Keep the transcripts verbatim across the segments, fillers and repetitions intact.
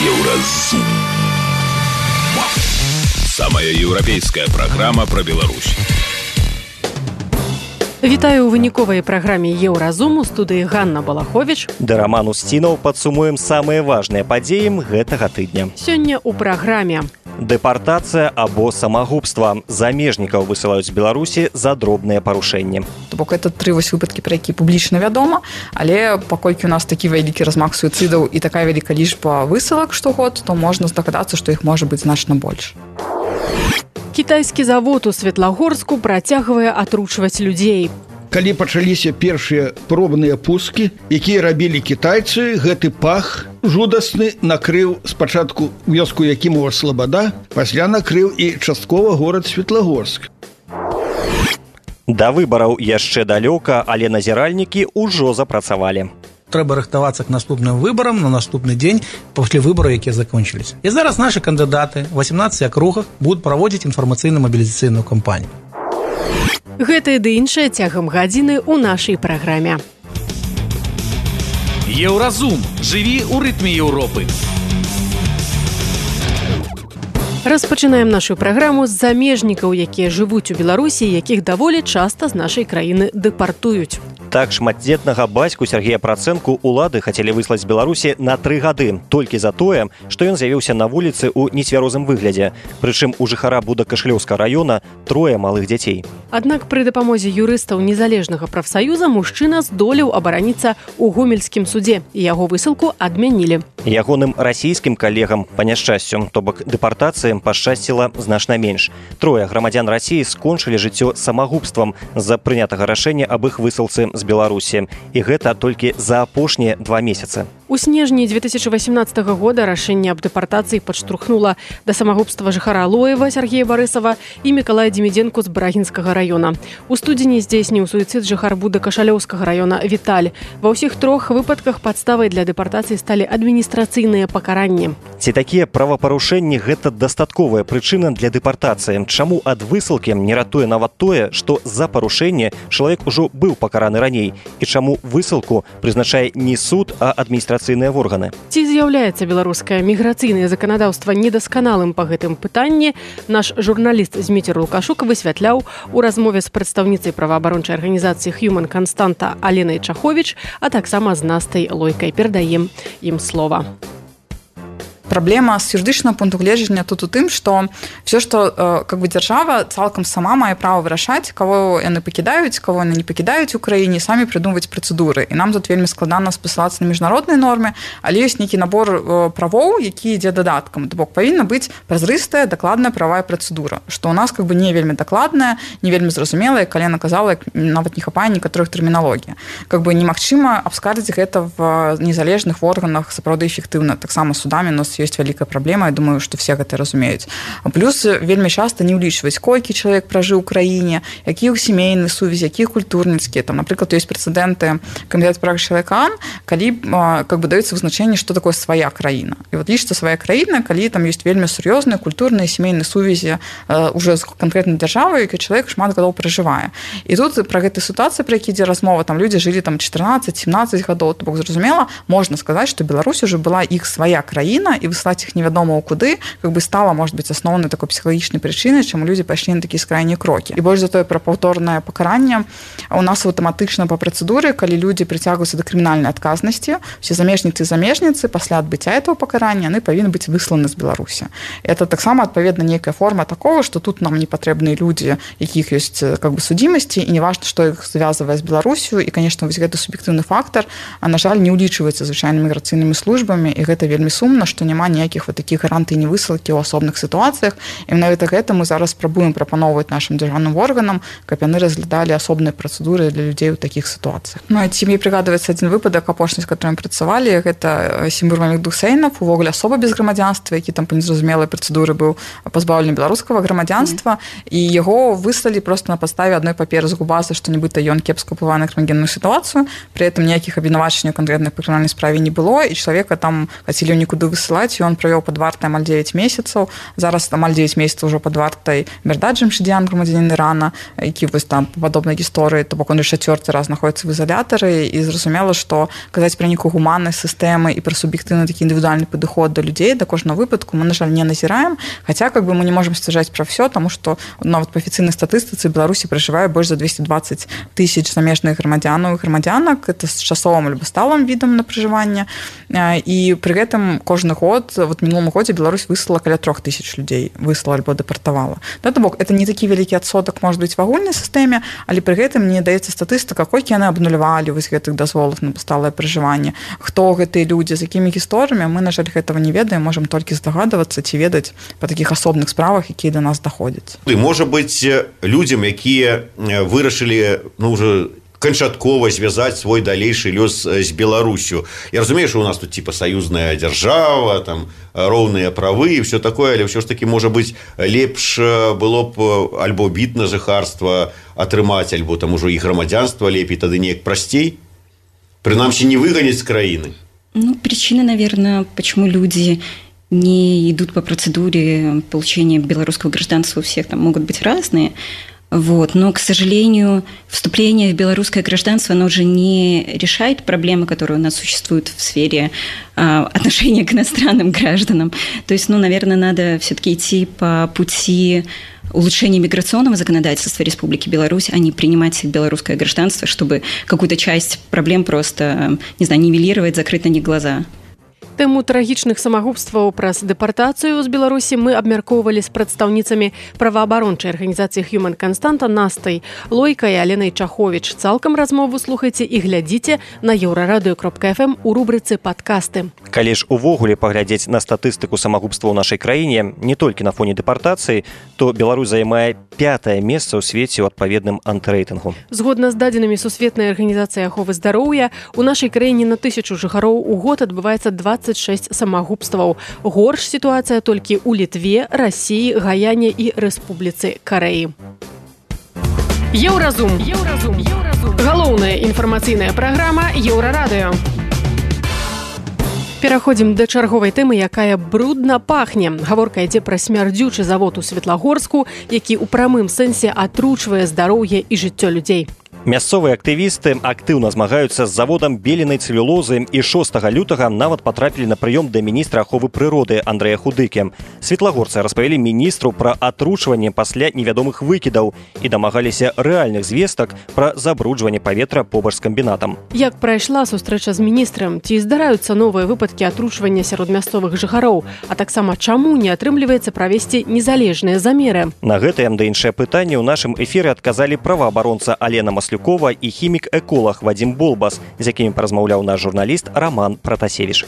Еўразум. Самая еўрапейская праграма пра Беларусь. Вітаю ў выніковай праграме Еўразум, у студыі Ганна Балахович. Да Роман Устінаў падсумуем самыя важныя падзеі гэтага тыдня. Сёння ў праграме. Дэпартацыя або самагубства. Замежнікаў высылаюць з Беларусі за дробныя парушэнні. То бок это тры вось выпадкі, пра які публічна вядома, але паколькі у нас такі вялікі размах суіцыдаў і такая вялікая лічба высылак штогод, то можна здагадацца, што іх можа быць значна больш. Кітайскі завод у Светлагорску працягвае атручваць людзей. Калі пачаліся першыя пробныя пускі, якія рабілі кітайцы, гэты пах жудасны накрыў спачатку вёску Якімова Слабада, пасля накрыў і часткова горад Светлагорск. Да выбараў яшчэ далёка, але назіральнікі ўжо запрацавалі. Трэба рыхтавацца к наступным выбарам на наступны дзень пасля выбараў, якія закончыліся. І зараз нашы кандыдаты ў васемнаццаці акругах будуць праводзіць інфармацыйна-мабілізацыйную кампанію. Гэта і ды іншае цягам гадзіны ў нашай праграме. Еўразум. Жыві ў рытме Еўропы. Распачынаем нашу праграму з замежнікаў, якія жывуць у Беларусі, якіх даволі часта з нашай краіны дэпартуюць. Так, шматдзетнага бацьку Сергея Працэнку улады хацелі выслаць з Беларусі на тры гады, толькі за тое, што ён з'явіўся на вуліцы ў нецвярозым выглядзе. Прычым у жыхара Будакашлёўскага раёна трое малых дзяцей. Аднак пры дапамозе юрыстаў незалежнага прафсаюза мужчына здолеў абараніцца ў гомельскім судзе, і яго высылку адмянілі. Ягоным расійскім калегам, па няшчасцю, то бок дэпартацыі пашчасціла значна менш. Трое грамадзян Расіі скончылі жыццё самагубствам з-за прынятага рашэння аб іх высылцы з Беларусі. І гэта толькі за апошнія два месяцы. У снежні две тысячи восемнадцатого года рашэнне аб дэпартацыі падштурхнула да самагубства жыхара Алоева Сергея Барысава і Мікалая Демідзенку з Брагінскага раёна. У студзені здзейсніў суіцыд жыхар Будакашалёўскага раёна Віталь. Ва ўсіх трох выпадках падставай для дэпартацыі сталі адміністрацыйныя пакаранні. Ці такія правапарушэнні гэта дастатковая прычына для дэпартацыі? Чаму ад высылкі не ратуе нават тое, што за парушэнне чалавек ужо быў пакараны раней? І чаму высылку прызначае не суд, а адміністрацыйныя органы? Ці з'яўляецца беларускае міграцыйнае заканадаўства недасканалым па гэтым пытанні? Наш журналіст Зміцер Лукашук высвятляў у размове з прадстаўніцай праваабарончай арганізацыі Human Константа Аленай Чаховіч, а таксама з Настай Лойкай. Перадаем ім слова. Праблема з юрыдычнага пункту гледжання тут у тым, што все, што э, как бы дзяржава цалкам сама мае права вырашаць, каго яны пакідаюць, каго яны не пакідаюць у краіне, самі прыдумваць працэдуры. І нам тут вельмі складана спасылацца на міжнародныя нормы, але ёсць нейкі набор э, правоў, які ідзе дадаткам. То бок павінна быць празрыстая, дакладная правая працэдура, што ў нас как бы не вельмі дакладная, не вельмі зразумелая, калі яна казала, нават не хапае некаторых тэрміналогій. Как бы немагчыма абскардзіць гэта в незалежных органах сапраўды эфектыўна. Таксама судамі у нас ёсць вялікая праблема, я думаю, што все гэта разумеюць. Плюс вельмі часта не ўлічваюць, колькі чалавек пражыў у краіне, якія ў сямейныя сувязі, якія культурніцкія. Там, напрыклад, ёсць прэцэдэнты камітэт прав чалавека, калі как бы даецца вызначэнне, што такое свая краіна. І вот лічыцца свая краіна, калі там ёсць вельмі сур'ёзныя культурныя сямейныя сувязі уже з канкрэтнай дзяржавай, які чалавек шмат гадоў пражывае. І тут пра гэтай сітуацыі, пра які ідзе размова, там людзі жылі там чатырнаццаць-сямнаццаць гадоў, то бок зразумела, можна сказаць, што Беларусь уже была іх свая краіна, і выслаць іх невядома ў куды, как бы стала, может быть, асноўнай такой псіхалагічнай прычынай, чаму людзі пайшлі на такія скрайнія крокі. І больш за тое пра паўторнае пакаранне у нас аўтаматычна па працэдуры, калі людзі прыцягваюцца да крымінальнай адказнасці, усе замежніцы і замежніцы пасля адбыцця этого пакарання яны павінны быць высланы з Беларусі. Это таксама адпаведна нейкая форма такого, што тут нам не патрэбныя людзі, якіх ёсць как бы судзімасці, і не важна, што іх звязвае з Беларусю, і конечно вось гэты суб'ектыўны фактар, а на жаль, не ўлічваецца звычайнымі міграцыйнымі службамі, і гэта вельмі сумна, што няма ніякіх вот такіх гарантый невысылкі ў асобных сітуацыях. І менавіта гэта мы зараз спрабуем прапаноўваць нашым дзяржаўным органам, каб яны разглядалі асобныя працэдуры для людзей у такіх сітуацыях. Ну, ці мне прыгадваецца адзін выпадак апошні, з которым працавалі, гэта Сімур Мамедух Сейнов, увогуле асоба без грамадзянства, які там па незразумелай працэдуры быў пазбаўлены беларускага грамадзянства, mm-hmm. і яго выслалі проста на падставе адной паперы з губазы, што нібыта ён кепска ўплывае на крымінальную сітуацыю, пры этом ніякіх абвінавачанняў канкрэтнай па крымінальнай справе не было, і чалавека там хацелі нікуды высылаць і ён правёў пад вартай амаль дзевяць месяцаў. Зараз амаль дзевяць месяцаў ўжо пад вартай Мердад Джамшидян, грамадзянін Ірана, які вось там па падобнай гісторыі, то бок он яшчэ чацвёрты раз знаходзіцца в изолятары, і зразумела, што казаць пра нейкую гуманнасць сістэмы і пра суб'ектыўны такі індывідуальны падыход да людзей, да кожнага выпадку мы, на жаль, не назіраем, хаця как бы мы не можам сцвярджаць пра ўсё, таму што нават па афіцыйнай статыстыцы в Беларусі пражывае больш за двести двадцать тысяч замежных грамадзянаў і грамадзянак, это з часовым альбо сталым відам на пражыванне, і пры гэтым кожны год, вот мінулым годзе Беларусь выслала каля трох тысяч людзей, выслала альбо дэпартавала. Да, то бок, это не такі вялікі адсотак можа быць в агульнай сістэме, але пры гэтым не даецца статыстыка, колькі яны абнулявалі вось гэтых дазволаў на сталае пражыванне, хто гэтыя людзі, з якімі гісторыямі, мы, на жаль, гэтага не ведаем, можам толькі здагадвацца ці ведаць па такіх асобных справах, якія да нас даходзяць. І можа быць людзям, якія вырашылі, ну, уже канчаткова звязаць свой далейшы лёс з Беларусю. Я разумею, што у нас тут типа саюзная дзяржава, там роўныя правы і все такое, але ўсё ж таки, можа быць, лепш было б альбо від на жыхарства атрымаць, альбо там ужо і грамадзянства лепей, тады неяк прасцей. Прынамсі, не выганяць з краіны. Ну, причины, наверное, почему люди не идут по процедуре получения белорусского гражданства, у всех там могут быть разные. Вот. Но, к сожалению, вступление в белорусское гражданство, оно уже не решает проблемы, которые у нас существуют в сфере а, отношения к иностранным гражданам. То есть, ну, наверное, надо все-таки идти по пути улучшения миграционного законодательства Республики Беларусь, а не принимать белорусское гражданство, чтобы какую-то часть проблем просто, не знаю, нивелировать, закрыть на них глаза. Тэму трагічных самагубстваў праз дэпартацыю з Беларусі мы абмяркоўвалі з прадстаўніцамі праваабарончай арганізацыі Human Константа Настай Лойкай і Аленай Чаховіч. Цалкам размову слухайце і глядзіце на еўрарадыё кропка эф эм у рубрыцы «Падкасты». Калі ж увогуле паглядзець на статыстыку самагубства ў нашай краіне, не толькі на фоне дэпартацыі, то Беларусь займае пятае месца ў свеце ў адпаведным антырэйтынгу. Згодна з дадзенымі Сусветнай арганізацыі аховы здароўя, у нашай краіне на тысячу жыхароў у год адбываецца дваццаць шэсць самагубстваў. Горш сітуацыя толькі ў Літве, Расіі, Гаяне і Рэспубліцы Карэі. Еўразум. Еўразум. Еўразум. Галоўная інфармацыйная праграма Еўрарадыё. Пераходзім да чарговай тэмы, якая брудна пахне. Гаворка ідзе пра смярдзючы завод у Светлагорску, які ў прамым сэнсе атручвае здароўе і жыццё людзей. Мясцовыя актывісты актыўна змагаюцца з заводам беленай цэлюлозы і шостага лютага нават патрапілі на прыём да міністра аховы прыроды Андрэя Худыкі. Светлагорцы распавялі міністру пра атручванне пасля невядомых выкідаў і дамагаліся рэальных звестак пра забруджванне паветра побач з камбінатам. Як прайшла сустрэча з міністрам? Ці здараюцца новыя выпадкі атручвання сярод мясцовых жыхароў? А таксама чаму не атрымліваецца правесці незалежныя замеры? На гэтае да іншае пытанне ў нашым эфіры адказалі праваабаронца Алена Маслюкова і хімік-эколог Вадзім Болбас, з якімі паразмаўляў наш журналіст Роман Пратасевіч.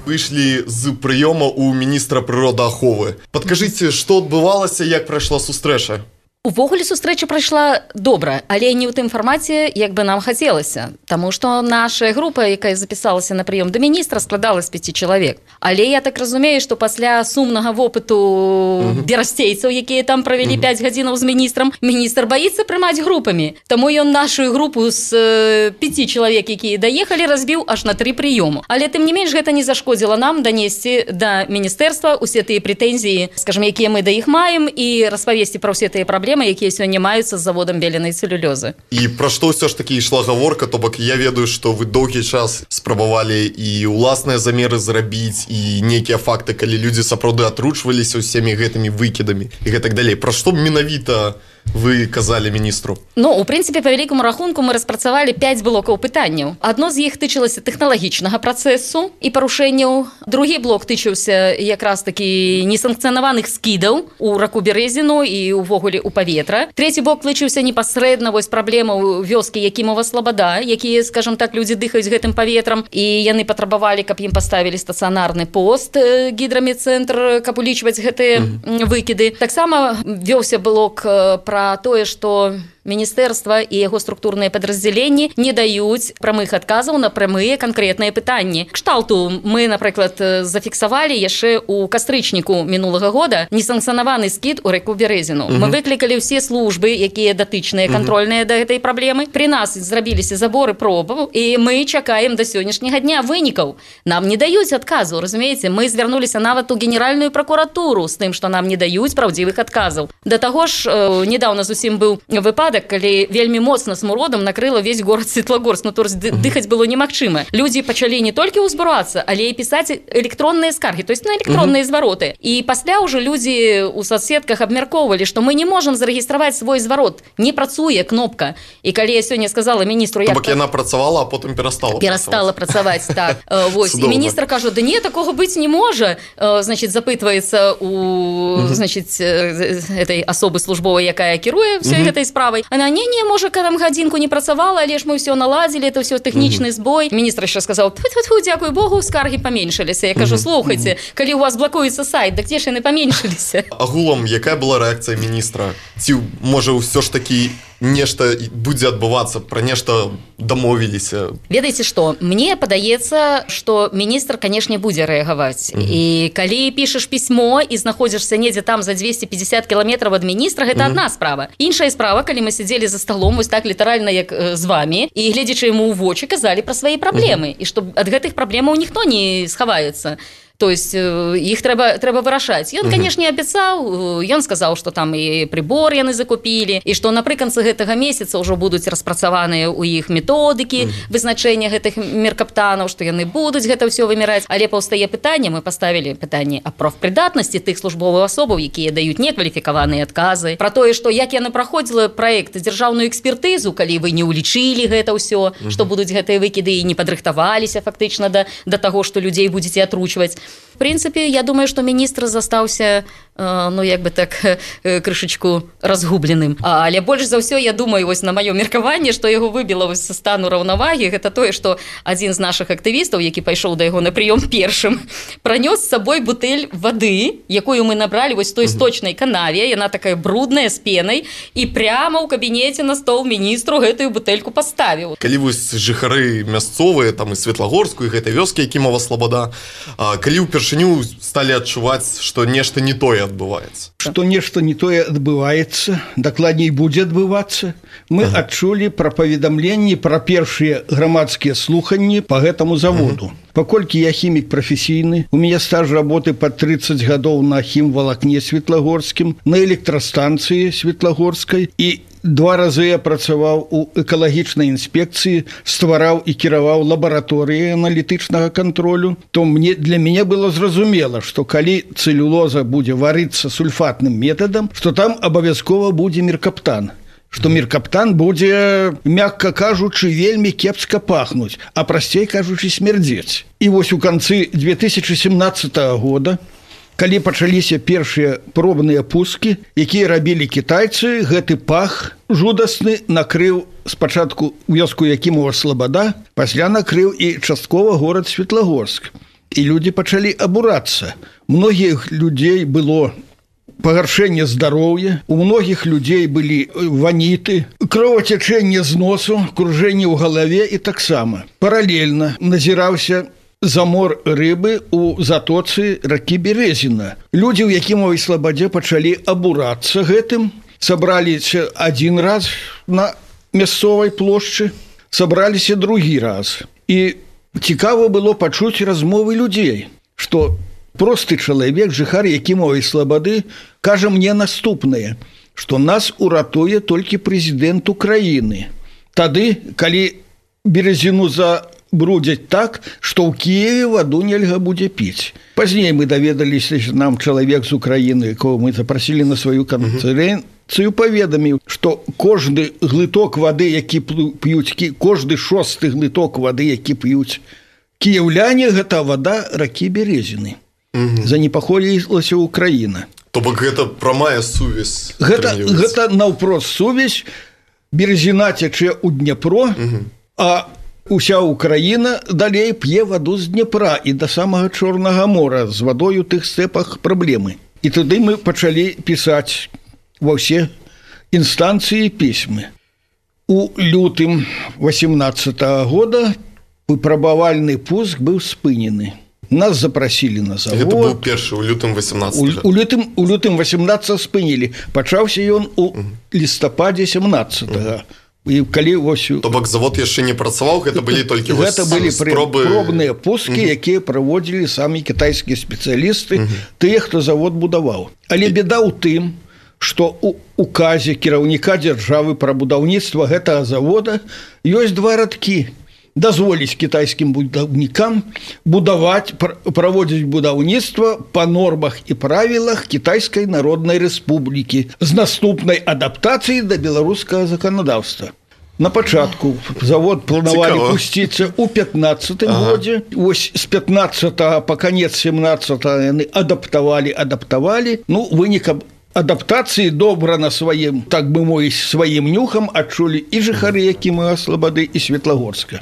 Выйшлі з прыёма ў міністра прыродааховы. Падкажыце, што адбывалася, як прайшла сустрэча? Увогуле сустрэча прайшла добра, але не ў тым фармаце, як бы нам хацелася. Таму што наша група, якая запісалася на прыём да міністра, складала з пяці чалавек. Але я так разумею, што пасля сумнага вопыту uh-huh. берасцейцаў, якія там правялі uh-huh. пяць гадзінаў з міністрам, міністр баіцца прымаць групамі. Таму ён нашу групу з э, пяці чалавек, якія даехалі, разбіў аж на тры прыёму. Але тым не менш гэта не зашкодзіла нам данесці да міністэрства усе тыя прэтэнзіі, скажем, якія мы да іх маем, і распавесці пра ўсе тыя праблемы, якія сёння маюцца з заводам беленай цэлюлёзы. І пра што ўсё ж такі ішла гаворка, то бок я ведаю, што вы доўгі час спрабавалі і ўласныя замеры зрабіць, і нейкія факты, калі людзі сапраўды атручваліся ўсімі гэтымі выкідамі і гэтак далей. Пра што менавіта вы казалі міністру? Ну, у прынцыпе, па вялікаму рахунку мы распрацавалі пяць блокаў пытанняў. Адно з іх тычылася тэхналагічнага працэсу і парушэнняў. Другі блок тычыўся якраз такі несанкцыянаваных скідаў у раку Бярэзіну і ўвогуле ў паветра. Трэці блок тычыўся непасрэдна вось праблемаў вёскі Якімова Слабада, якія, скажам так, людзі дыхаюць гэтым паветрам, і яны патрабавалі, каб ім паставілі стацыянарны пост гідрамедцэнтр, каб улічваць гэтыя mm-hmm. выкіды. Таксама вёўся блок пра тое, што міністэрства і яго структурныя падраздзяленні не даюць прамых адказаў на прамыя канкрэтныя пытанні. Кшталту мы, напрыклад, зафіксавалі яшчэ ў кастрычніку мінулага года несанкцыянаваны скід у рэку Бярэзіну. Мы выклікалі ўсе службы, якія датычныя, кантрольныя да гэтай праблемы. Пры нас зрабіліся заборы пробаў, і мы чакаем да сённяшняга дня вынікаў. Нам не даюць адказу, разумееце? Мы звярнуліся нават у генеральную прокуратуру з тым, што нам не даюць праўдзівых адказаў. Да таго ж, э, недавно зусім быў выпадак, калі вельмі моцна смуродам накрыла весь горад Светлагорск, ну то есть дыхаць было немагчыма. Людзі пачалі не толькі ўзбурацца, але і пісаць электронныя скаргі, то есть на электронныя звароты. І пасля ўжо людзі ў соцсетках абмяркоўвалі, што мы не можам зарэгістраваць свой зварот, не працуе кнопка. І калі я сёння сказала міністру, як... Бок яна працавала, а потым перастала. Перастала працаваць, так. Вось. І міністр кажа, да не, такога быць не можа. Значит, запытваецца у, значит, этой асобы службовай, якая кіруе всёй гэтай справай. Она, не-не, можа, там гадзінку не працавала, але ж мы ўсё наладзілі, это ўсё тэхнічны збой. Міністр яшчэ сказаў, тьфу-тьфу, дзякуй Богу, скаргі паменшыліся. Я кажу, слухайце, калі у вас блакуецца сайт, дык дзе ж яны паменшыліся? Агулам, якая была рэакцыя міністра? Ці, можа, ўсё ж такі нешта будзе адбывацца, пра нешта дамовіліся? Ведаеце што, мне падаецца, што міністр, канешне, будзе рэагаваць. Mm -hmm. І калі пішаш пісьмо і знаходзішся недзе там за двести пятьдесят кіламетраў ад міністра, гэта mm -hmm. адна справа. Іншая справа, калі мы сядзелі за сталом, вось так літаральна, як з вамі, і гледзячы яму ў вочы, казалі пра свае праблемы, mm -hmm. і што ад гэтых праблемаў ніхто не схаваецца. То есть іх трэба, трэба вырашаць. Ён, канешне, абяцаў, ён сказаў, што там і прыбор яны закупілі, і што напрыканцы гэтага месяца ўжо будуць распрацаваныя ў іх методыкі вызначэння гэтых меркаптанаў, што яны будуць гэта ўсё выміраць. Але паўстае пытанне, мы паставілі пытанне аб прафпрыдатнасці тых службовых асобаў, якія даюць некваліфікаваныя адказы, пра тое, што як яны праходзіла праект дзяржаўную экспертызу, калі вы не ўлічылі гэта ўсё, што будуць гэтыя выкіды і не падрыхтаваліся фактычна да, да таго, што людзей будзеце атручваць. В прынцыпе, я думаю, што міністр застаўся, ну, як бы так, крышачку разгубленым. Але больш за ўсё, я думаю, вось на маё меркаванне, што яго выбіла вось са стану раўнавагі, гэта тое, што адзін з нашых актывістаў, які пайшоў да яго на прыём першым, пранёс з сабой бутэль вады, якую мы набралі вось той сточнай канаве, яна такая брудная, з пенай, і прямо ў кабінеце на стол міністру гэтую бутэльку паставіў. Калі вось жыхары мясцовыя, там і Светлагорску, і гэтай вёскі, Якімова Слабада, калі ўпершыню сталі адчуваць, што нешта не тое адбываецца? Што нешта не тое адбываецца, дакладней будзе адбывацца. Мы ага. адчулі пра паведамленні пра першыя грамадскія слуханні па гэтаму заводу. Ага. Паколькі я хімік прафесійны, у мяне стаж работы па тридцать гадоў на хімвалакне Светлагорскім, на электрастанцыі Светлагорскай, і два разы я працаваў у экалагічнай інспекцыі, ствараў і кіраваў лабараторыі аналітычнага кантролю, то мне, для мяне было зразумела, што калі цэлюлоза будзе варыцца сульфатным метадам, што там абавязкова будзе меркаптан. Што меркаптан будзе, мякка кажучы, вельмі кепска пахнуць, а прасцей кажучы, смярдзець. І вось у канцы две тысячи семнадцатага года, калі пачаліся першыя пробныя пускі, якія рабілі кітайцы, гэты пах жудасны накрыў спачатку вёску Якімова Слабада, пасля накрыў і часткова горад Светлагорск. І людзі пачалі абурацца. Многіх людзей было пагаршэнне здароўя, у многіх людзей былі ваніты, кровацячэнне з носу, кружэнне ў галаве і таксама. Паралельна назіраўся замор рыбы ў затоцы ракі Бярэзіна. Людзі ў Якімовай Слабадзе пачалі абурацца гэтым, сабраліся адзін раз на мясцовай плошчы, сабраліся другі раз. І цікава было пачуць размовы людзей, што просты чалавек, жыхар Якімовай Слабады, кажа мне наступнае, што нас уратуе толькі прэзідэнт Украіны. Тады, калі Бярэзіну за брудзяць так, што ў Кіеве ваду нельга будзе піць. Пазней мы даведаліся, нам чалавек з Украіны, якого мы запрасілі на сваю канферэнцыю, паведаміў, што кожны глыток вады, які п'юць, кожны шосты глыток вады, які п'юць кіеўляне, гэта вада ракі Бярэзіны. Занепакоілася Украіна. То бок гэта прамая сувязь. Гэта, гэта наўпрост сувязь. Березіна цячэ ў Днепро, а уся Украіна далей п'е ваду з Днепра і да самага Чорнага мора, з вадой у тых стэпах праблемы. І туды мы пачалі пісаць ва ўсе інстанцыі пісьмы. у лютым восемнадцатого года выпрабавальны пуск быў спынены. Нас запросили на завод. Это был першы у лютым восемнадцатого. У, у лютым, у лютым восемнадцатого спынілі. Пачаўся ён у лістападзе семнадцатого. І калі вось... То бок завод яшчэ не працаваў, гэта былі толькі вось гэта былі спробы... пробныя пускі, угу. якія праводзілі самі кітайскія спецыялісты, угу. тыя, хто завод будаваў. Але беда ў тым, што у указе кіраўніка дзяржавы пра будаўніцтва гэтага завода ёсць два радкі. Дазволіць кітайскім будаўнікам будаваць, праводзіць будаўніцтва па нормах і правілах Кітайскай Народнай Рэспублікі з наступнай адаптацыяй да беларускага заканадаўства. На пачатку завод планавалі пусціцца ў пятнаццатым ага. годзе. Вось з пятнаццатага па канец семнаццатага яны адаптавалі, адаптавалі. Ну, вынікам адаптацыі добра на сваім, так бы мовіць, сваім нюхам адчулі і жыхары Якімова Слабады і Светлагорска.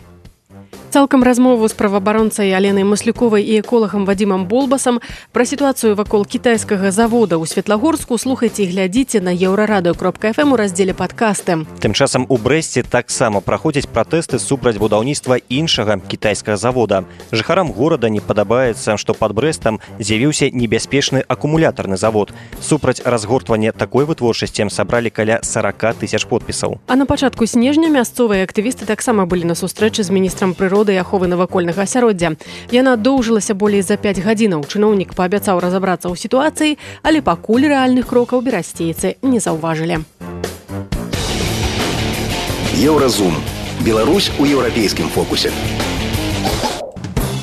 Цалкам размову з праваабаронцай Аленай Маслюковай і эколагам Вадзімам Болбасам пра сітуацыю вакол кітайскага завода ў Светлагорску слухайце і глядзіце на еўрарадыё кропка эф эм у раздзеле падкасты. Тым часам у Брэсце таксама праходзяць пратэсты супраць будаўніцтва іншага кітайскага завода. Жыхарам горада не падабаецца, што пад Брэстам з'явіўся небяспечны акумулятарны завод. Супраць разгортвання такой вытворчасці сабралі каля сорок тысяч подпісаў. А на пачатку снежня мясцовыя актывісты таксама былі на сустрэчы з міністрам прыроды і аховы навакольнага асяроддзя. Яна доўжылася болей за пяць гадзінаў. Чыноўнік паабяцаў разабрацца ў сітуацыі, але пакуль рэальных крокаў берасцейцы не заўважылі. Еўразум. Беларусь у еўрапейскім фокусе.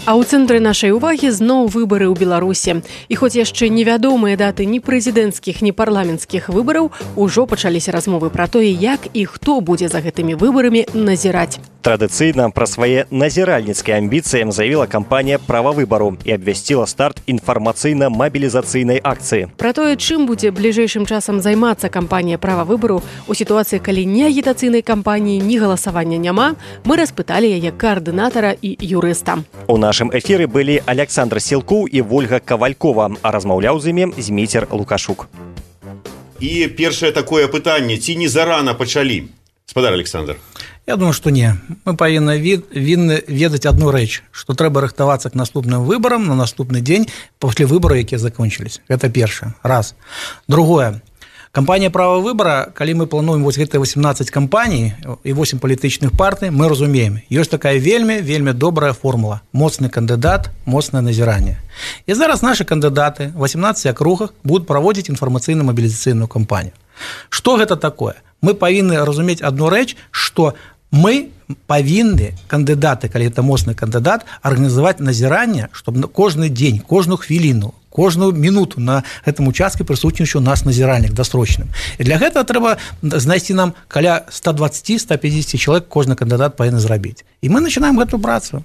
А ў цэнтры нашай увагі зноў выбары ў Беларусі. І хоць яшчэ невядомыя даты ні прэзідэнцкіх, ні парламенцкіх выбараў, ужо пачаліся размовы пра тое, як і хто будзе за гэтымі выбарамі назіраць. Традыцыйна пра свае назіральніцкія амбіцыі заявіла кампанія «Права выбару» і абвясціла старт інфармацыйна-мабілізацыйнай акцыі. Пра тое, чым будзе бліжэйшым часам займацца кампанія «Права выбару» у сітуацыі, калі ні агітацыйнай кампаніі, ні галасавання няма, мы распыталі яе каардынатара і юрыста. У нашым эфіры былі Александр Сілкоў і Вольга Кавалькова, а размаўляў з імі Зміцер Лукашук. І першае такое пытанне, ці не зарана пачалі? Спадар Александр. Я думаю, што не. Мы павінны вінны ведаць адну рэч, што трэба рыхтавацца к наступным выбарам на наступны дзень пасля выбараў, якія закончылись. Гэта першае. Раз. Другое. Кампанія «Права выбара», калі мы плануем вось гэтыя восемнадцаць кампаній і восем палітычных партый, мы разумеем, ёсць такая вельмі, вельмі добрая формула. Моцны кандыдат, моцнае назіранне. І зараз нашы кандыдаты в восемнадцати акругах будуць праводзіць інфармацыйна-мабілізацыйную кампанію. Што гэта такое? Мы павінны разумець адну рэч, што мы павінны кандыдаты, калі это моцны кандыдат, арганізаваць назіранне, чтобы кожны дзень, кожную хвіліну, кожную мінуту на гэтым участке прысутнічаў у нас назіральнік дасрочным. І для гэтага трэба знайсці нам каля ста дваццаці - ста пяцідзесяці чалавек кожны кандыдат павінны зрабіць. І мы начинаем гэту працу.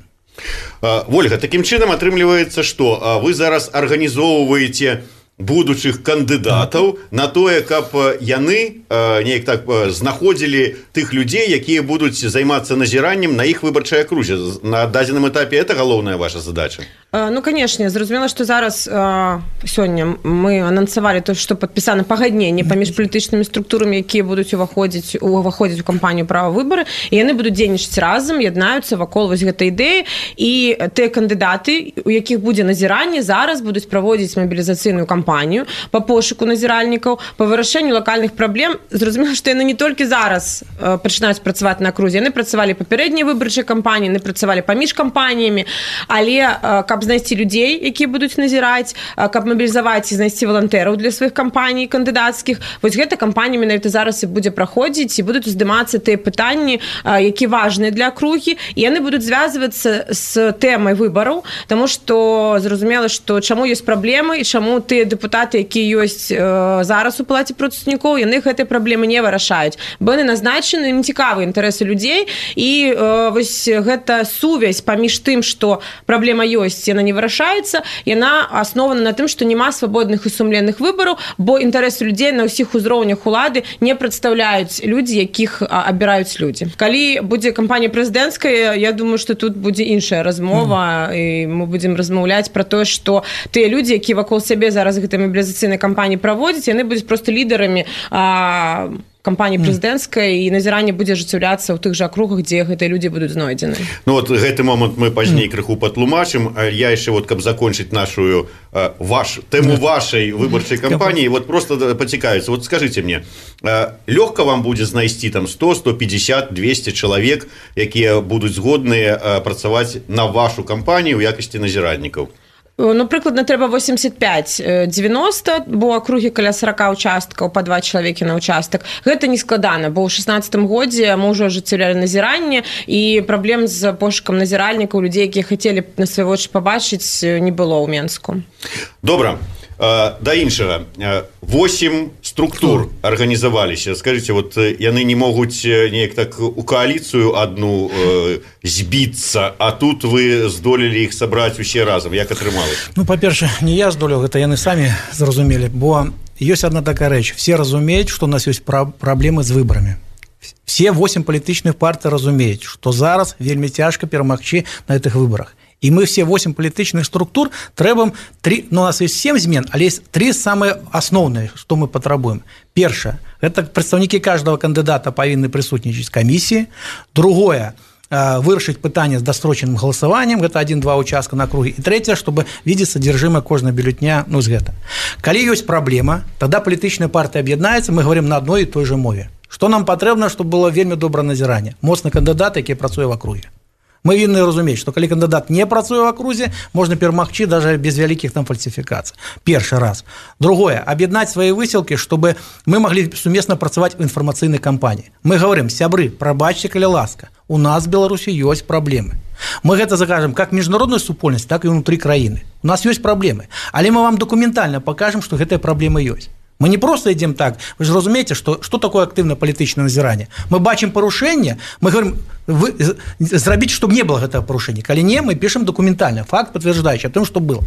Вольга, такім чынам атрымліваецца, што вы зараз арганізоўваеце будучых кандыдатаў на тое, каб яны неяк так знаходзілі тых людзей, якія будуць займацца назіраннем на іх выбарчай акрузе. На дадзеным этапе это галоўная ваша задача? Ну, конечно, зразумела, што зараз э, сёння мы анансавалі то, што падпісана пагадненне паміж палітычнымі структурамі, якія будуць уваходзіць уваходзіць у кампанію «Права выбары», і яны будуць дзейнічаць разам, яднаюцца вакол вось гэтай ідэі, і тыя кандыдаты, у якіх будзе назіранне, зараз будуць праводзіць мабілізацыйную кампанію па пошуку назіральнікаў, па вырашэнню лакальных праблем. Зразумела, што яны не толькі зараз э, пачынаюць працаваць на акрузе, яны працавалі папярэдняй выбарчай кампаніі, яны працавалі паміж кампаніямі, але э, каб знайсці людзей, якія будуць назіраць, каб мабілізаваць і знайсці валантэраў для сваіх кампаній кандыдацкіх. Вось гэта кампанія менавіта зараз і будзе праходзіць, і будуць уздымацца тыя пытанні, якія важныя для акругі, і яны будуць звязвацца з тэмай выбараў, таму што зразумела, што чаму ёсць праблемы і чаму тыя дэпутаты, якія ёсць зараз у палаце прадстаўнікоў, яны гэтай праблемы не вырашаюць, бо яны назначаны, ім цікавы інтарэсы людзей, і вось гэта сувязь паміж тым, што праблема ёсць, яна не вырашаецца, яна аснована на тым, што няма свабодных і сумленных выбараў, бо інтарэсы людзей на ўсіх узроўнях улады не прадстаўляюць людзі, якіх абіраюць людзі. Калі будзе кампанія прэзідэнцкая, я думаю, што тут будзе іншая размова, mm. і мы будзем размаўляць пра тое, што тыя людзі, якія вакол сябе зараз гэтай мабілізацыйнай кампаніі праводзяць, яны будуць проста лідарамі а, кампаніі прэзідэнцкай, і назіранне будзе ажыццяўляцца ў тых жа акругах, дзе гэтыя людзі будуць знойдзены. Ну вот гэты момант мы пазней крыху патлумачым. Я яшчэ вот каб закончыць нашу ваш тэму вашай выбарчай кампаніі, вот просто пацікавіцца. Вот скажите мне, лёгка вам будзе знайсці там сто, сто пятьдесят, двести чалавек, якія будуць згодныя працаваць на вашу кампанію ў якасці назіраннікаў? Ну, прыкладна трэба восемьдесят пять девяносто, бо акругі каля сорок участкаў, па два чалавекі на участак. Гэта не складана, бо ў шестнадцатым годзе мы ўжо ажыццяўлялі назіранне, і праблем з пошукам назіральнікаў, людзей, якія хацелі на свае вочы пабачыць, не было ў Менску. Добра. Да іншага, восемь структур арганізаваліся. Скажите, вот яны не могуць неяк так у коаліцыю одну збіцца, а тут вы здолелі іх сабраць усе разам. Як атрымалася? Ну, па-перша, не я здолеў, гэта яны самі зразумелі, бо ёсць одна такая рэч. Все разумеюць, што у нас ёсць праблемы з выбарамі. Все восемь палітычных партый разумеюць, што зараз вельмі цяжка перамагчы на гэтых выбарах. И мы все восемь палітычных структур трэбам три, ну, у нас есть семь змен, але есть три самые основные, что мы патрабуем. Першае, это прадстаўнікі каждого кандидата павінны прысутнічаць камісіі. Другое, вырашыць пытанне з дасрочаным галасаваннем, гэта один-два участка на округе. И третье, чтобы видеть содержимое кожнага бюллетня, ну, з гэта. Калі ёсць праблема, тогда палітычная партыя аб'яднаецца, мы говорим на одной и той же мове. Что нам патрэбна, чтобы было вельмі добрае назіранне? Моцны кандыдат, які працуе в округе. Мы вінны разумець, што калі кандыдат не працуе ў акрузе, можна перамагчы даже без вялікіх там фальсіфікацый. Першы раз. Другое, аб'яднаць свае высілкі, чтобы мы маглі сумесна працаваць у інфармацыйнай кампаніі. Мы говорим, сябры, прабачце, калі ласка, у нас в Беларусі ёсць праблемы. Мы гэта закажем как міжнародную супольнасць, так і ўнутры краіны. У нас ёсць праблемы, але мы вам дакументальна пакажам, што гэтыя праблемы ёсць. Мы не просто идем так, вы же разумеете, что, что такое активное политическое назирание. Мы бачим порушение, мы говорим, вы, зрабіць, чтобы не было этого порушения. Коли не, мы пишем документально, факт подтверждающий о том, что было.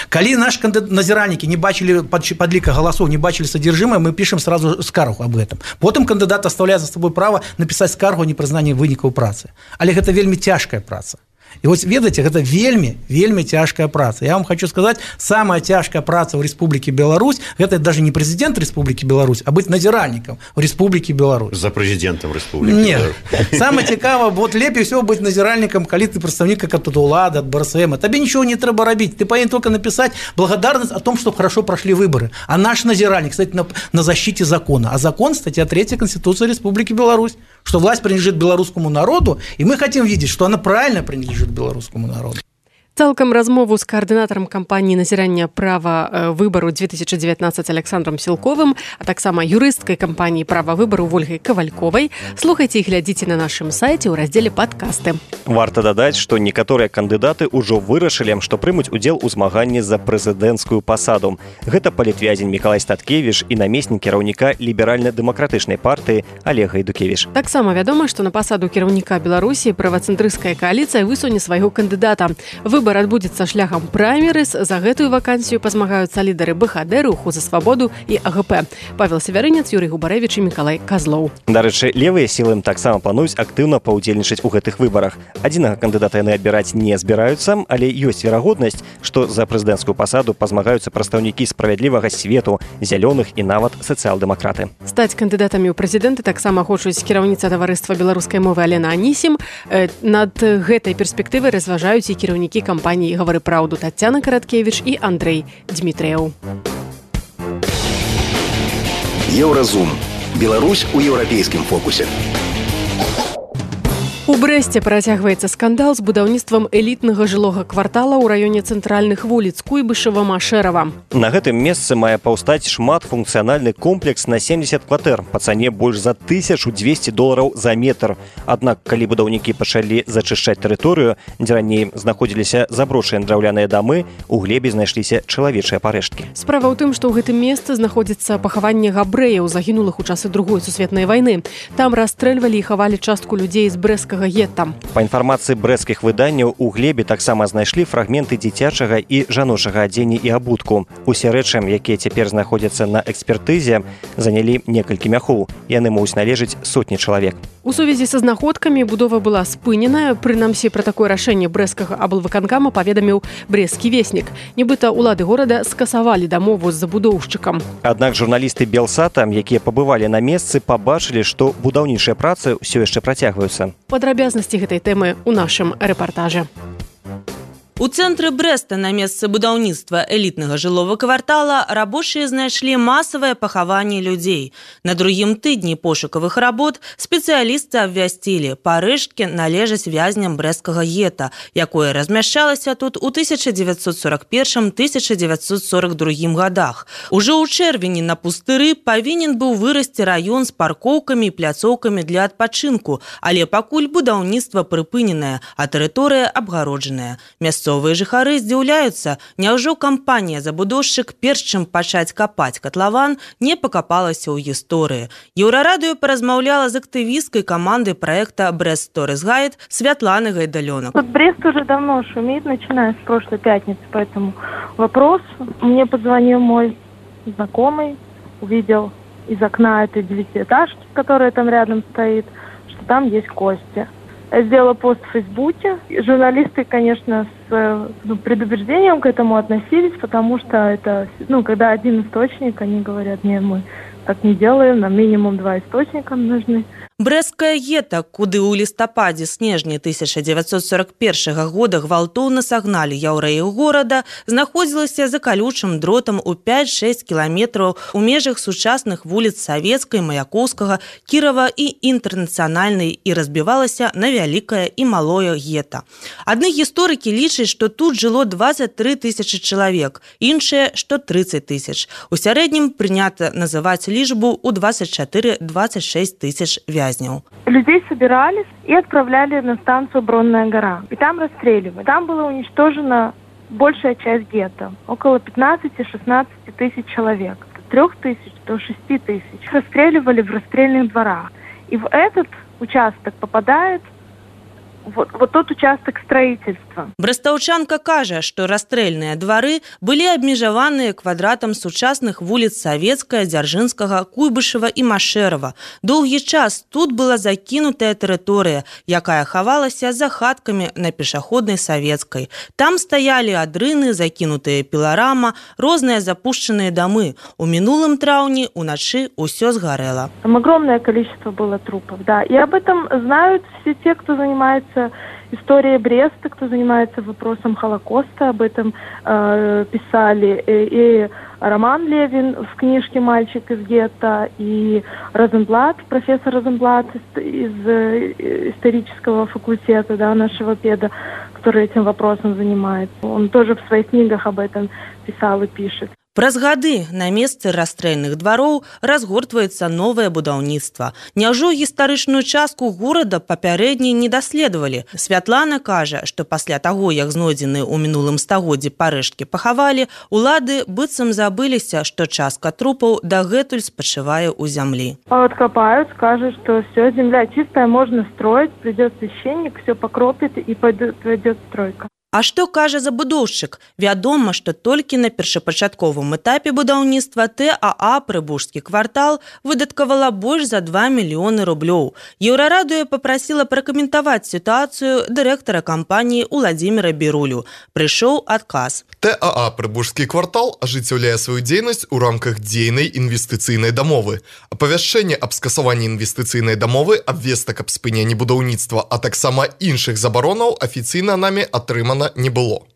Коли наши назиральники не бачили подлика голосов, не бачили содержимое, мы пишем сразу скаргу об этом. Потом кандидат оставляет за собой право написать скаргу о непрызнанні вынікаў працы. Але гэта вельмі цяжкая праца. І вось ведаеце, гэта вельмі, вельмі цяжкая праца. Я вам хочу сказаць, самая цяжкая праца ў Рэспублікі Беларусь, гэта даже не прэзідэнт Рэспублікі Беларусь, а быць назіральнікам ў Рэспублікі Беларусь. За прэзідэнтам Рэспублікі Беларусь. Нет. Самое цікава, вот лепей всего быць назіральнікам, калі ты прадстаўнік как от улады, от БРСМ. Табе ничего не трэба рабіць. Ты павінен только написать благодарность о том, что хорошо прошли выборы. А наш назиральник, кстати, на, на защите закона. А закон, статья третья Конституции Республики Беларусь, что власть принадлежит белорусскому народу, и мы хотим видеть, что она правильно принадлежит белорусскому народу. Цалкам размову з каардынатарам кампаніі назірання права выбару две тысячи девятнадцать Александром Сілковым, а таксама юрысткай кампаніі права выбару Ольгай Кавальковай слухайце і глядзіце на нашым сайце ў раздзеле падкасты. Варта дадаць, што некаторыя кандыдаты ўжо вырашылі, што прымуць удзел у змаганні за прэзідэнцкую пасаду. Гэта палітвязень Мікалай Статкевіч і намеснік кіраўніка ліберальна-дэмакратычнай партыі Олег Гайдукевіч. Таксама вядома, што на пасаду кіраўніка Беларусі правацэнтрысцкая кааліцыя высуне свайго кандыдата. Выбар адбудзецца шляхам праймерыз. За гэтую вакансію пазмагаюцца лідары БХД, Руху за свабоду і АГП. Павел Севярынец, Юрый Губарэвіч і Мікалай Казлоў. Дарэчы, левыя сілы таксама плануюць актыўна паўдзельнічаць у гэтых выбарах. Адзінага кандыдата яны адбіраць не збіраюцца, але ёсць верагоднасць, што за прэзідэнцкую пасаду пазмагаюцца прадстаўнікі справядлівага свету, зялёных і нават сацыял-дэмакраты. Стаць кандыдатамі ў прэзідэнты таксама хочуць кіраўніца таварыства беларускай мовы Алена Анісім. Над гэтай перспектывай разважаюць і кіраўнікі кампаніі «Гавары праўду» Таццяна Караткевіч і Андрэй Дмітрыяў. Еўразум. Беларусь у еўрапейскім фокусе. У Брэсце працягваецца скандал з будаўніцтвам элітнага жылога квартала ў раёне цэнтральных вуліц Куйбышева-Машэрава. На гэтым месцы мае паўстаць шматфункцыянальны комплекс на семьдесят кватэр па цане больш за тысячу двести долараў за метр. Аднак, калі будаўнікі пачалі зачышчаць тэрыторыю, дзе раней знаходзіліся заброшаныя драўляныя дамы, у глебе знайшліся чалавечыя парэшткі. Справа ў тым, што ў гэтым месцы знаходзіцца пахаванне габрэяў, загінулых у часы другой сусветнай вайны. Там расстрэльвалі і хавалі частку людзей з брэскага брэсцкага гета. Па інфармацыі брэсцкіх выданняў, у глебе таксама знайшлі фрагменты дзіцячага і жаночага адзення і абутку. Усе рэчы, якія цяпер знаходзяцца на экспертызе, занялі некалькі мяхоў. Яны могуць належыць сотні чалавек. У сувязі са знаходкамі будова была спыненая. Прынамсі, пра такое рашэнне брэсцкага аблвыканкама паведаміў брэсцкі веснік. Нібыта ўлады горада скасавалі дамову з забудоўшчыкам. Аднак журналісты Белсата, якія пабывалі на месцы, пабачылі, што будаўнічыя працы ўсё яшчэ працягваюцца. Падрабязнасці гэтай тэмы ў нашым рэпартажы. У цэнтры Брэста на месцы будаўніцтва элітнага жылого квартала рабочыя знайшлі масавае пахаванне людзей. На другім тыдні пошукавых работ спецыялісты абвясцілі, парэшткі належаць вязням брэсцкага гета, якое размяшчалася тут у тысяча дзевяцьсот сорок першым - тысяча дзевяцьсот сорок другім гадах. Ужо ў чэрвені на пустыры павінен быў вырасці раён з паркоўкамі і пляцоўкамі для адпачынку, але пакуль будаўніцтва прыпыненае, а тэрыторыя абгароджаная. Мясцовыя жыхары здзіўляюцца, няўжо кампанія-забудоўшчык, перш чым пачаць капаць катлаван, не пакапалася ў гісторыі. Еўрарадыё паразмаўляла з актывісткай каманды проекта «Брест Сторис Гайд» Светланы Гайдалёнок. Брест уже давно шумит, начиная с прошлой пятницы по этому вопросу. Мне позвонил мой знакомый, увидел из окна этой девятиэтажки, которая там рядом стоит, что там есть кости. Я сделала пост в Фейсбуке. Журналисты, конечно, с ну, предубеждением к этому относились, потому что это, ну, когда один источник, они говорят, нет, мы так не делаем, нам минимум два источника нужны. Брэсцкае гета, куды ў лістападзе снежня тысяча дзевяцьсот сорок першага года гвалтоўна сагналі яўрэяў горада, знаходзілася за калючым дротам у пяць-шэсць кіламетраў у межах сучасных вуліц Савецкай, Маяковскага, Кірава і Інтэрнацыянальнай і разбівалася на вялікае і малое гета. Адны гісторыкі лічаць, што тут жыло дваццаць тры тысячы чалавек, іншыя, што трыццаць тысяч. У сярэднім прынята называць лічбу ў дваццаць чатыры - дваццаць шэсць тысяч вязней. Людей собирались и отправляли на станцию Бронная гора. И там расстреливали. Там была уничтожена большая часть гетто. Около пятнадцати-шестнадцати тысяч человек. От трех тысяч до шести тысяч. Расстреливали в расстрельных дворах. И в этот участок попадает Вот, вот тот участок строительства. Брэстаўчанка кажа, што расстрэльныя двары былі абмежаваныя квадратам сучасных вуліц Савецкая, Дзяржынскага, Куйбышева і Машэрава. Доўгі час тут была закінутая тэрыторыя, якая хавалася за хаткамі на пешаходнай Савецкай. Там стаялі адрыны, закінутыя піларама, розныя запушчаныя дамы. У мінулым траўні уначы ўсё згарэла. Там огромное количество было трупов, да. И об этом знают все те, кто занимается историей Бреста, кто занимается вопросом Холокоста, об этом э, писали и, и Роман Левин в книжке «Мальчик из гетто», и Розенблат, профессор Розенблат из, из исторического факультета, да, нашего педа, который этим вопросом занимается. Он тоже в своих книгах об этом писал и пишет. Праз гады на месцы расстрэльных двароў разгортваецца новае будаўніцтва. Няўжо гістарычную частку горада папярэдне не даследавалі? Святлана кажа, што пасля таго, як знойдзены ў мінулым стагоддзі парэшткі пахавалі, улады быццам забыліся, што частка трупаў дагэтуль спачывае ў зямлі. Откопают, скажут, что все, земля чистая, можно строить, придет священник, все покропит и пойдет стройка. А што кажа забудоўшчык? Вядома, што толькі на першапачатковым этапе будаўніцтва ТАА «Прыбужскі квартал» выдаткавала больш за два мільёны рублёў. Еўрарадыё папрасіла пракаментаваць сітуацыю дырэктара кампаніі Уладзіміра Бірулю. Прыйшоў адказ. ТАА «Прыбужскі квартал» ажыццяўляе сваю дзейнасць у рамках дзейнай інвестыцыйнай дамовы. Апавяшчэнне аб скасаванні інвестыцыйнай дамовы, абвестак аб спыненні будаўніцтва, а таксама іншых забаронаў афіцыйна намі атрымана не было.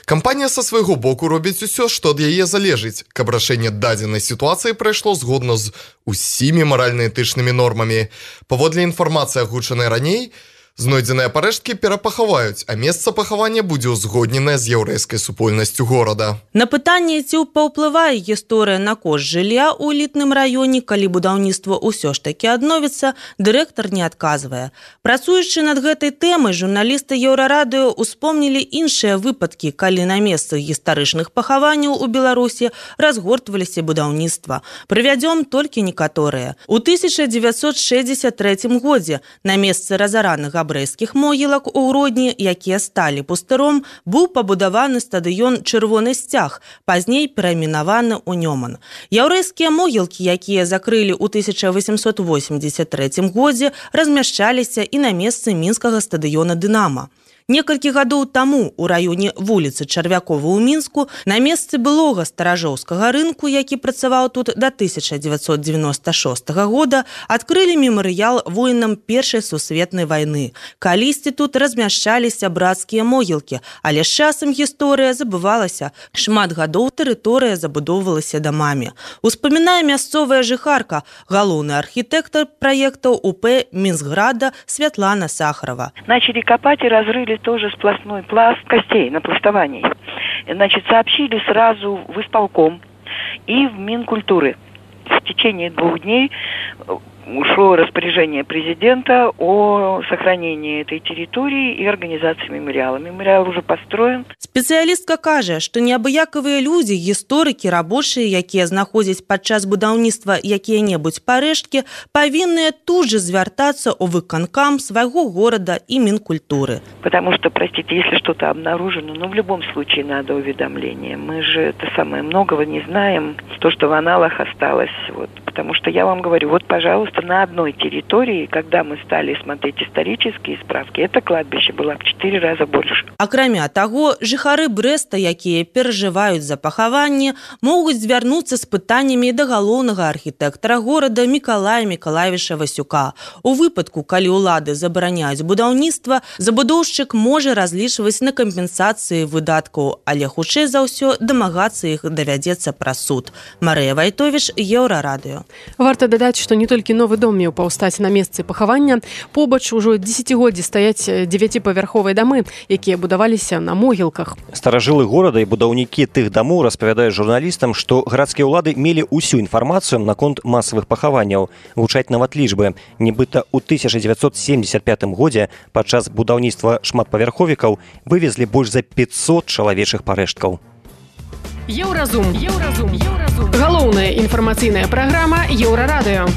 Кампанія са свайго боку робіць усё, што ад яе залежыць, каб рашэнне дадзенай сітуацыі прайшло згодна з усімі маральна-этычнымі нормамі. Паводле інфармацыі, агучанай раней, знойдзеныя парэшткі перапахаваюць, а месца пахавання будзе ўзгодненае з яўрэйскай супольнасцю горада. На пытанне, ці паўплывае гісторыя на кошт жылля ў элітным раёне, калі будаўніцтва ўсё ж такі адновіцца, дырэктар не адказвае. Працуючы над гэтай тэмай, журналісты Еўрарадыё успомнілі іншыя выпадкі, калі на месцах гістарычных пахаванняў у Беларусі разгортваліся будаўніцтва. Прывядзём толькі некаторыя. У тысяча дзевяцьсот шэсцьдзесят трэцім годзе на месцы разаранага габрэйскіх могілак у Гродні, якія сталі пустыром, быў пабудаваны стадыён «Чырвоны сцяг», пазней перайменаваны ў Нёман. Яўрэйскія могілкі, якія закрылі ў тысяча восемьсот восемьдесят третьем годзе, размяшчаліся і на месцы мінскага стадыёна «Дынама». Некалькі гадоў таму ў раёне вуліцы Чарвякова ў Мінску на месцы былога старажоўскага рынку, які працаваў тут да тысяча дзевяцьсот дзевяноста шостага года, адкрылі мемарыял воінам Першай сусветнай вайны. Калісьці тут размяшчаліся брацкія могілкі, але з часам гісторыя забывалася. Шмат гадоў тэрыторыя забудоўвалася дамамі. Успамінае мясцовая жыхарка, галоўны архітэктар праектаў УП Мінскграда Святлана Сахарова. Начали копать и разрыли тоже сплошной пласт костей, напластований. Значит, сообщили сразу в исполком и в Минкультуры. В течение двух дней ушло распоряжение президента о сохранении этой территории и организации мемориала. Мемориал уже построен. Спецыялістка кажа, што неабыякавыя людзі, гісторыкі, рабочыя, якія знаходзяць падчас будаўніцтва якія-небудзь парэшткі, павінныя тут же звяртацца ў выканкам свайго горада и Минкультуры. Потому что, простите, если что-то обнаружено, ну, в любом случае надо уведомление. Мы же это самое многого не знаем. То, что в аналах осталось. Вот. Потому что я вам говорю, вот, пожалуйста, на одной территории, когда мы стали смотреть исторические справки, это кладбище было в четыре раза больше. Акрамя таго, жыхары Брэста, якія перажываюць за пахаванне, могуць звярнуцца з пытаннямі да галоўнага архітэктара горада Мікалая Мікалаевіча Васюка. У выпадку, калі ўлады забараняюць будаўніцтва, забудоўшчык можа разлічваць на кампенсацыі выдаткаў, але хутчэй за ўсё дамагацца іх давядзецца праз суд. Марыя Вайтовіч, Еўрарадыё. Варта дадаць, што не толькі новы дом меў паўстаць на месцы пахавання, побач ужо дзесяцігоддзі стаяць дзевяціпавярховыя дамы, якія будаваліся на могілках. Старажылы горада і будаўнікі тых дамоў распавядаюць журналістам, што гарадскія ўлады мелі ўсю інфармацыю наконт масавых пахаванняў. Гучаць нават лічбы. Нібыта ў тысяча дзевяцьсот семьдесят пятым годзе падчас будаўніцтва шматпавярховікаў вывезлі больш за пятьсот чалавечых парэшткаў. Еўразум. Еўразум. Еўразум. Галоўная інфармацыйная праграма Еўрарадыё.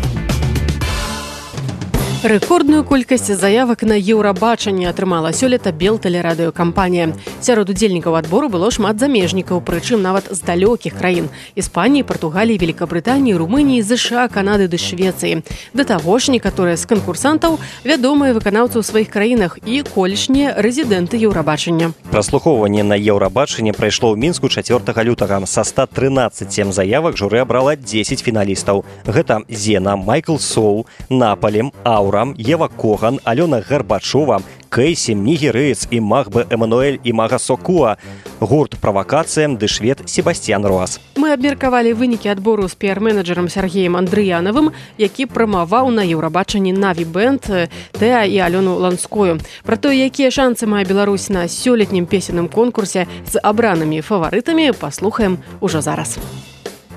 Рэкордную колькасць заявак на еўрабачанне атрымала сёлета Белтэлерадыёкампанія. Сярод удзельнікаў адбору было шмат замежнікаў, прычым нават з далёкіх краін – Іспаніі, Партугаліі, Великабрытаніі, Румыніі, ЗША, Канады ды Швецыі. Да таго ж, некаторыя з канкурсантаў вядомыя выканаўцы ў сваіх краінах і колішнія рэзідэнты еўрабачання. Праслухоўванне на еўрабачанне прайшло ў Мінску чацвёртага лютага. Са ста трынаццаці заявак журы абрала дзесяць фіналістаў. Гэта Зена, Майкл Соу, Наполем, Аура, Ева Коган, Алёна Гарбачова, Кейсі, Нігерыец і Махбе Эмануэль і Мага Сокуа, гурт «Правакацыя» ды швед Себастьян Руас. Мы абмеркавалі вынікі адбору з піар-менеджерам Сергеем Андрыянавым, які прамаваў на еўрабачанні Наві Бэнд, Тэа і Алёну Ланскую. Пра тое, якія шанцы мае Беларусь на сёлетнім песенным конкурсе з абранымі фаварытамі, паслухаем ужо зараз.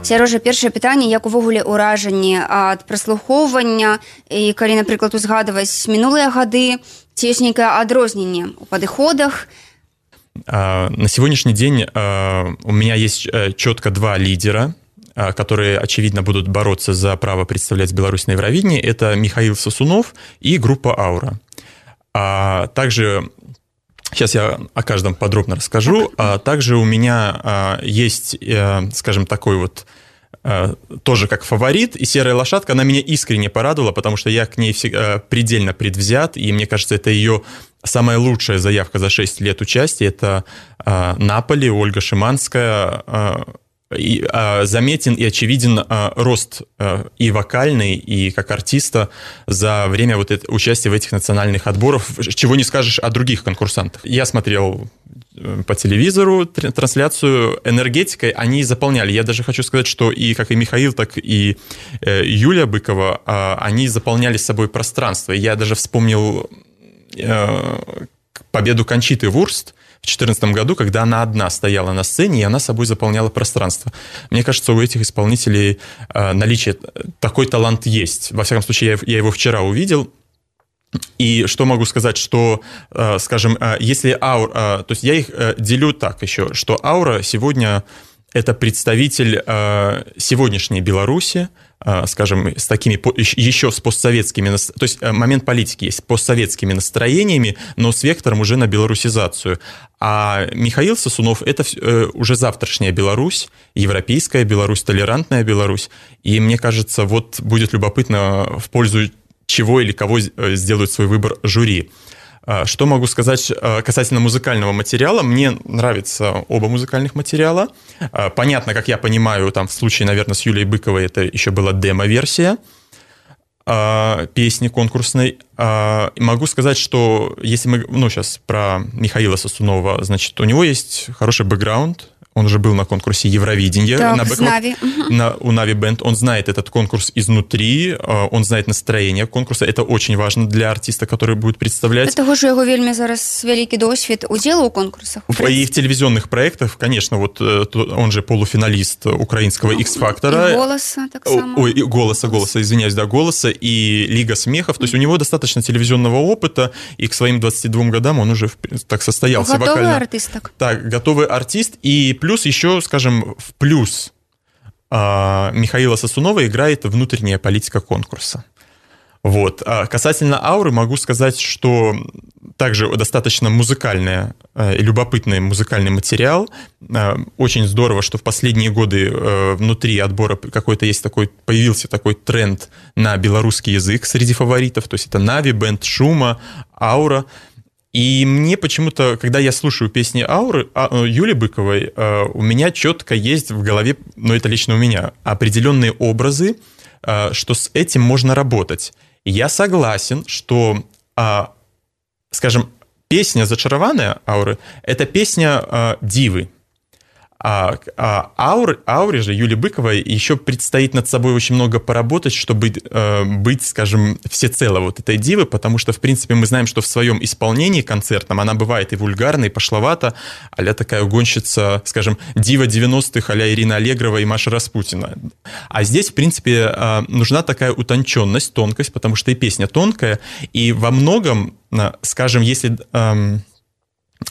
Сярожа, першае пытанне, як увогуле ўражанне ад праслухоўвання і калі, напрыклад, узгадваць мінулыя гады, ці ёсць нейкае адрозненне ў падыходах? На сегодняшний день у меня есть четко два лидера, которые, очевидно, будут бороться за право представлять Беларусь на Евровидении. Это Михаил Сосунов и группа «Аура». А также... Сейчас я о каждом подробно расскажу. А также у меня есть, скажем, такой вот тоже как фаворит, и «Серая лошадка», она меня искренне порадовала, потому что я к ней предельно предвзят, и мне кажется, это ее самая лучшая заявка за шесть лет участия. Это Наполи, Ольга Шиманская. И, а, заметен и очевиден а, рост а, и вокальный, и как артиста за время вот это, участия в этих национальных отборах, чего не скажешь о других конкурсантах. Я смотрел по телевизору трансляцию, энергетикой они заполняли. Я даже хочу сказать, что и как и Михаил, так и э, Юлия Быкова, э, они заполняли с собой пространство. Я даже вспомнил э, победу Кончиты Вурст в две тысячи четырнадцатом году, когда она одна стояла на сцене, и она собой заполняла пространство. Мне кажется, у этих исполнителей э, наличие, такой талант есть. Во всяком случае, я, я его вчера увидел. И что могу сказать, что, э, скажем, э, если Аура... Э, то есть я их э, делю так еще, что Аура сегодня это представитель э, сегодняшней Беларуси, скажем, с такими еще с постсоветскими, то есть момент политики есть, с постсоветскими настроениями, но с вектором уже на белорусизацию. А Михаил Сосунов – это уже завтрашняя Беларусь, европейская Беларусь, толерантная Беларусь. И мне кажется, вот будет любопытно, в пользу чего или кого сделают свой выбор жюри. Что могу сказать касательно музыкального материала? Мне нравятся оба музыкальных материала. Понятно, как я понимаю, там в случае, наверное, с Юлией Быковой это еще была демо-версия песни конкурсной. Могу сказать, что если мы, ну, сейчас про Михаила Сосунова, значит, у него есть хороший бэкграунд. Он уже был на конкурсе Евровидения. Так, на Нави. На, у Нави Бенд. Он знает этот конкурс изнутри, он знает настроение конкурса. Это очень важно для артиста, который будет представлять. Того, что его вельми зараз великий досвид удела у конкурсах. И в телевизионных проектах, конечно, вот он же полуфиналист украинского X-фактора. И «Голоса» так само. Ой, и «Голоса», «Голоса», извиняюсь, да, «Голоса» и «Лига смехов». То есть у него достаточно телевизионного опыта, и к своим двадцати двум годам он уже так состоялся. Готовый вокально. артист. Так. так, готовый артист. И плюс еще, скажем, в плюс Михаила Сосунова играет внутренняя политика конкурса. Вот. А касательно ауры могу сказать, что также достаточно музыкальный и любопытный музыкальный материал. Очень здорово, что в последние годы внутри отбора какой-то есть такой, появился такой тренд на белорусский язык среди фаворитов. То есть это Нави, Бенд, Шума, Аура. И мне почему-то, когда я слушаю песни Ауры, Юли Быковой, у меня четко есть в голове, но это лично у меня, определенные образы, что с этим можно работать. И я согласен, что, скажем, песня «Зачарованная» Ауры – это песня дивы. А, а ауре, ауре же Юлии Быковой еще предстоит над собой очень много поработать, чтобы э, быть, скажем, всецело вот этой дивы, потому что, в принципе, мы знаем, что в своем исполнении концертном она бывает и вульгарна, и пошловата, а-ля такая угонщица, скажем, дива девяностых, а-ля Ирина Аллегрова и Маша Распутина. А здесь, в принципе, э, нужна такая утонченность, тонкость, потому что и песня тонкая, и во многом, э, скажем, если... Э,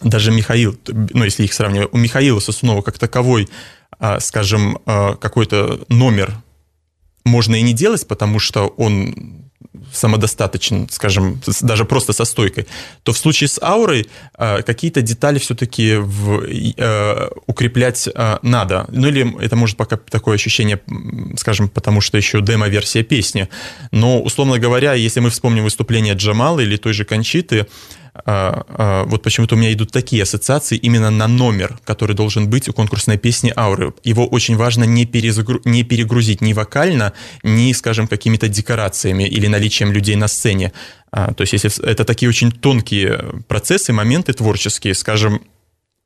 даже Михаил, ну, если их сравнивать, у Михаила Сосунова как таковой, скажем, какой-то номер можно и не делать, потому что он самодостаточен, скажем, даже просто со стойкой, то в случае с аурой какие-то детали все-таки в, э, укреплять надо. Ну или это может пока такое ощущение, скажем, потому что еще демо-версия песни. Но, условно говоря, если мы вспомним выступление Джамала или той же Кончиты, вот почему-то у меня идут такие ассоциации именно на номер, который должен быть у конкурсной песни «Ауры». Его очень важно не, перезагру... не перегрузить ни вокально, ни, скажем, какими-то декорациями или наличием людей на сцене. То есть если это такие очень тонкие процессы, моменты творческие, скажем,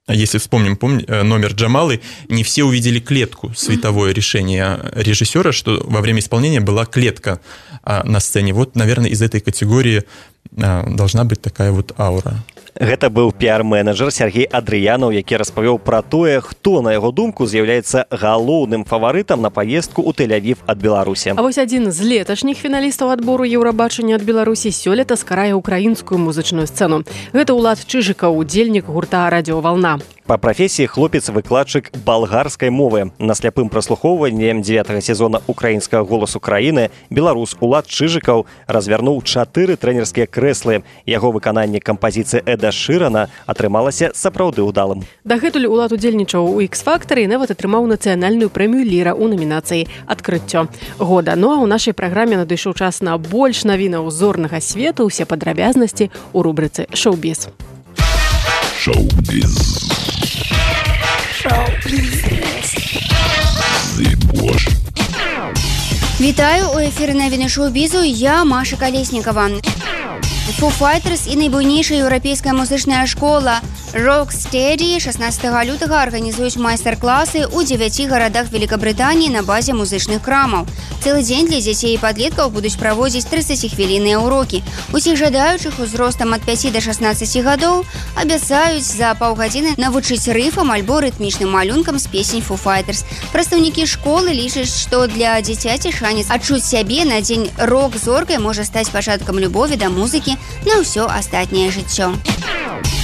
если вспомним помни, номер Джамалы, не все увидели клетку, световое решение режиссера, что во время исполнения была клетка на сцене. Вот, наверное, из этой категории должна быть такая вот аура. Гэта быў піар-менеджер Сергей Адрыянаў, які распавёў пра тое, хто, на яго думку, з'яўляецца галоўным фаварытам на паездку ў Тель-Авів ад Беларусі. А вось адзін з леташніх фіналістаў адбору Еўрабачання ад Беларусі сёлета скарае ўкраінскую музычную сцэну. Гэта Улад Чыжыкаў, удзельнік гурта «Радиоволна». Па прафесіі хлопец-выкладчык балгарскай мовы. На сляпым праслухоўванні дзевятага сезона украінскага голасу краіны беларус Улад Чыжыкаў развярнуў чатыры трэнерскія крэслы. Яго выкананне кампазіцыі Эда Шырана атрымалася сапраўды ўдалым. Дагэтуль Улад удзельнічаў у X-фактары і нават атрымаў нацыянальную прэмію «Ліра» ў номінацыі «Адкрыццё года». Ну а ў нашай праграме надышоў час на больш навінаў зорнага свету. Усе падрабязнасці ў рубрыцы «Шоу-біз». Шоу-біз. Вітаю, у эфіры навіны шоу-бізу, я Маша Колеснікова. Foo Fighters і найбуйнейшая еўрапейская музычная школа Rocksteady шаснаццатага лютага арганізуюць майстар-класы ў дзевяці гарадах Великабрытаніі на базе музычных крамаў. Цэлы дзень для дзяцей і падлеткаў будуць праводзіць трыццаціхвілінныя ўрокі. Усіх жадаючых узростам ад пяці да шаснаццаці гадоў абяцаюць за паўгадзіны навучыць рыфам альбо рытмічным малюнкам з песень Foo Fighters. Прадстаўнікі школы лічаць, што для дзіцяці шанец адчуць сябе на дзень рок-зоркай можа стаць пачаткам любові да музыкі на ўсё астатняе жыццё.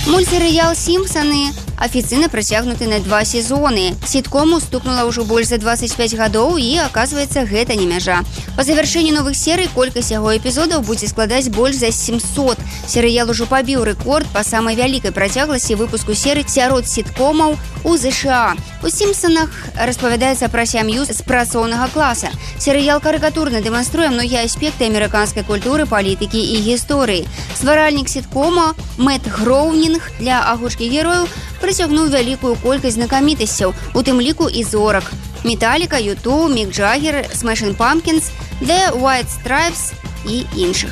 Мультсерыял «Сімпсаны» афіцыйна працягнуты на два сезоны. Сіткому стукнула ўжо больш за двадцать пять гадоў і, аказваецца, гэта не мяжа. Па завяршэнні новых серый колькасць яго эпізодаў будзе складаць больш за семьсот. Серыял ужо пабіў рэкорд па самай вялікай працягласці выпуску серый сярод сіткомаў у ЗША. У «Сімпсонах» распавядаецца пра сям'ю з працоўнага класа. Серыял карыкатурна дэманструе многія аспекты амерыканскай культуры, палітыкі і гісторыі. Стваральнік сіткома Мэтт Гроўнінг для агучкі герояў прыцягнуў вялікую колькасць знакамітасцяў, у тым ліку і зорак. Металліка, Юту, Мік Джаггер, Смэшин Пампкінс, The White Stripes і іншых.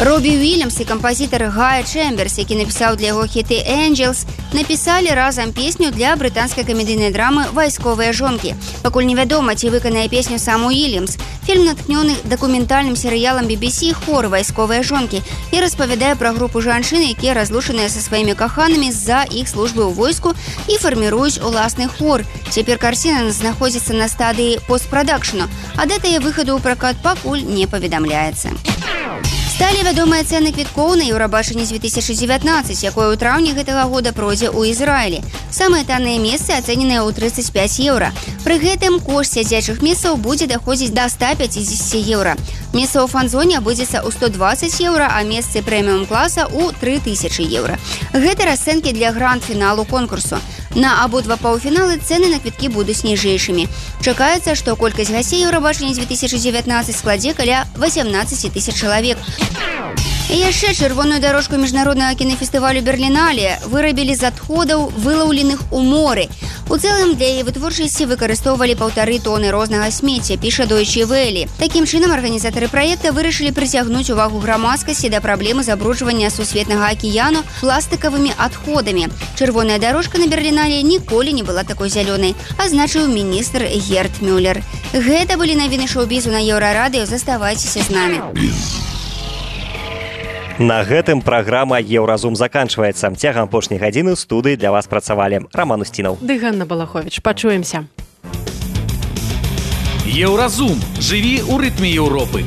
Робі Уільямс і кампазітар Гая Чэмберс, які напісаў для яго хіты «Angels», напісалі разам песню для брытанскай камедыйнай драмы «Вайсковыя жонкі». Пакуль невядома, ці выканае песню сам Уільямс. Фільм натхнёны дакументальным серыялам би би сі «Хор. Вайсковыя жонкі» і распавядае пра групу жанчын, якія разлучаныя са сваімі каханамі з-за іх службы ў войску і фарміруюць уласны хор. Цяпер карціна знаходзіцца на стадыі постпрадакшну, а дата выхаду ў пракат пакуль не паведамляецца. Сталі вядомыя цэны квіткоў на Еўрабачанне две тысячи девятнадцать, якое ў траўні гэтага года пройдзе ў Ізраілі. Самыя танныя месцы ацэненыя ў тридцать пять еўра. Пры гэтым кошт сядзячых месцаў будзе даходзіць да ста пятьдесят еўра. Месца ў фан-зоне абудзецца ў сто двадцать еўра, а месцы прэміум-класа ў три тысячи еўра. Гэта расцэнкі для гранд-фіналу конкурсу. На абодва паўфіналы цэны на квіткі будуць ніжэйшымі. Чакаецца, што колькасць гасцей Еўрабачання две тысячи девятнадцать складзе каля восемнадцать тысяч чалавек. І яшчэ чырвоную дарожку міжнароднага кінафестывалю Берлінале вырабілі з адходаў, вылаўленых у моры. У цэлым для яе вытворчасці выкарыстоўвалі паўтары тоны рознага смецця, піша Deutsche Welle. Такім чынам арганізатары праекта вырашылі прыцягнуць увагу грамадскасці да праблемы забруджвання сусветнага акіяну пластыкавымі адходамі. Чырвоная дарожка на Берлінале ніколі не была такой зялёнай, азначыў міністр Герт Мюллер. Гэта былі навіны шоу-бізу на Еўрарадыё. Заставайцеся з намі. На гэтым праграма «Еўразум» заканчваецца. Цягам апошняй гадзіны ў студыі для вас працавалі Роман Устінаў. Ды Ганна Балаховіч. Пачуемся. Еўразум. Жыві ў рытме Еўропы.